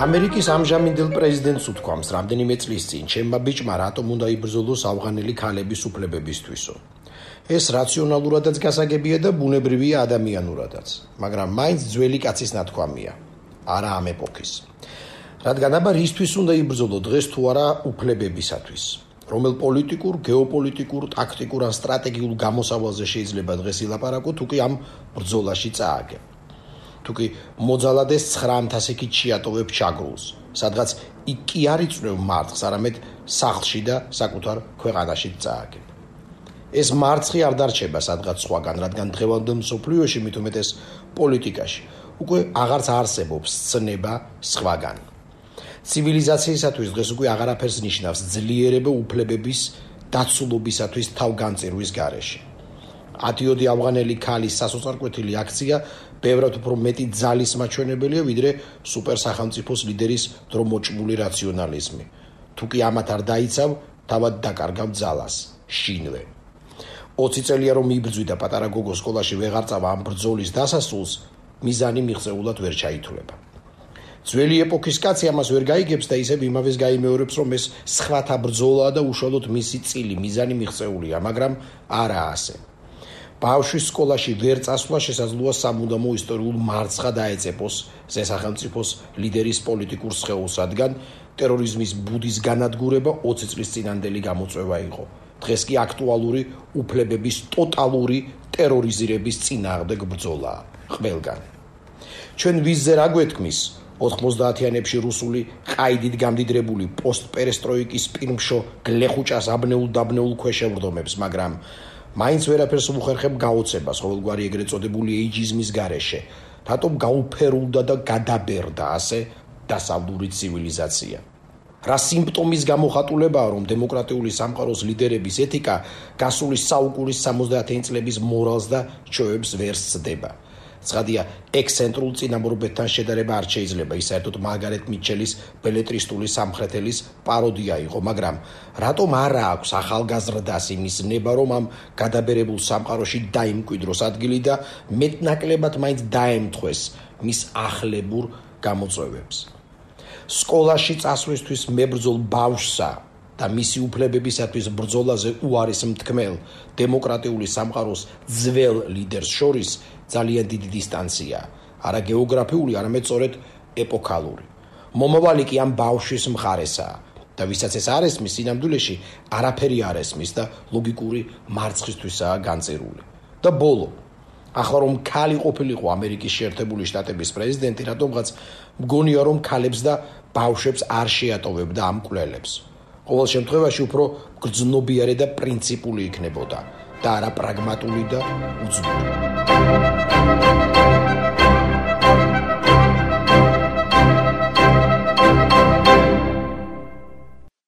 ამერიკის ამჟამინდელ პრეზიდენტს უთქვამს რამდენიმე წლის წინ ჩემმა ბიჭმა რატომ უნდა იბრძოლოს ავღანელი ქალების უფლებებისთვისო. ეს რაციონალურადაც გასაგებია და ბუნებრივია ადამიანურადაც, მაგრამ მაინც ძველი კაცის ნათქვამია, არა ამ ეპოქის. რადგან აბა რისთვის უნდა იბრძოლო დღეს თუ არა უფლებებისათვის? რომელ პოლიტიკურ, გეოპოლიტიკურ, ტაქტიკურ ან სტრატეგიულ გამოსავალზე შეიძლება დღეს ილაპარაკო, თუ კი ამ ბრძოლაში წააგებ. თუ კი მოძალადეს 900 იქით შეატოვებ ჩაგრულს, სადღაც იქ კი არ იწვევ მარცხს, არამედ სახლში და საკუთარ ქვეყანაში წააგებ. ეს მარცხი არ დარჩება სადღაც სხვაგან, რადგან დღევანდელ მსოფლიოში, მით უმეტეს პოლიტიკაში, უკვე აღარც არსებობს ცნება სხვაგან. ცივილიზაციისათვის დღეს უკვე აღარაფერს ნიშნავს ძლიერება უფლებების დაცულობისათვის თავგანწირვის გარეშე. 10 ავღანელი ქალის სასოწარკვეთილი აქცია ბევრად უფრო მეტი ძალის მაჩვენებელია, ვიდრე სუპერსახელმწიფოს ლიდერის დრომოჭმული რაციონალიზმი. თუ კი ამათ არ დაიცავ, თავად დაკარგავ ძალას, შინვე. 20 წელია რომ იბრძვი და პატარა გოგო სკოლაში ვეღარ წავა ამ ბრძოლის დასასრულს, მიზანი მიღწეულად ვერ ჩაითვლება. ძველი ეპოქის კაცი ამას ვერ გაიგებს და ისევ იმავეს გაიმეორებს, რომ ეს სხვათა ბრძოლაა და უშუალოდ მისი წილი, მიზანი მიღწეულია, მაგრამ არა ასე. ბავშვის სკოლაში ვერ წასვლა შესაძლოა სამუდამო ისტორიულ მარცხად დაეწეპოს ზესახელმწიფოს ლიდერის პოლიტიკურ სხეულს, რადგან ტერორიზმის ბუდის განადგურება 20 წლის წინანდელი გამოწვევა იყო. დღეს კი აქტუალური უფლებების ტოტალური ტერორიზირების წინააღმდეგ ბრძოლაა ყველგან. ჩვენ ვიზზე რა გვეთქმის 90-იანებში რუსული ყაიდით გამდიდრებული პოსტპერესტროიკის პირმშო გლეხუჭას აბნეულ ქვეშევრდომებს, მაგრამ მაინც ვერაფერს უხერხებ გაოცებას ყოველგვარი ეგრეთ წოდებული ეიჯიზმის გარეშე. რატომ გაუფერულდა და გადაბერდა ასე დასავლური ცივილიზაცია? რა სიმპტომის გამოხატულებაა, რომ დემოკრატიული სამყაროს ლიდერების ეთიკა გასული საუკუნის 70-იანი წლების მორალს და ჩვევებს ვერ სცდება? ცხადია, ექსცენტრულ წინამორბედთან შედარება არ შეიძლება, ის საერთოდ მარგარეტ მიჩელის ბელეტრისტული სამხრეთელის პაროდია იყო, მაგრამ რატომ არა აქვს ახალგაზრდას იმის ნება, რომ ამ გადაბერებულ სამყაროში დაიმკვიდროს ადგილი და მეტნაკლებად მაინც დაემთხვეს მის ახლებურ გამოწვევებს? სკოლაში წასვლისთვის მებრძოლ ბავშვსა და მისი უფლებებისათვის ბრძოლაზე უარის მთქმელ დემოკრატიული სამყაროს ძველ ლიდერს შორის ძალიან დიდი დისტანცია, არა გეოგრაფიული, არამედ სწორედ ეპოქალური. მომავალი კი ამ ბავშვის მხარესაა და ვისაც ეს არ ესმის, სინამდვილეში არაფერი არ ესმის და ლოგიკური მარცხისთვისაა განწირული. და ბოლო, ახლა რომ ქალი ყოფილიყო ამერიკის შეერთებული შტატების პრეზიდენტი, რატომღაც მგონია რომ ქალებს და ბავშვებს არ შეატოვებდა ამ კვლელებს. ყოველ შემთხვევაში უფრო გრძნობიარე და პრინციპული იქნებოდა და არა პრაგმატული და უძმური.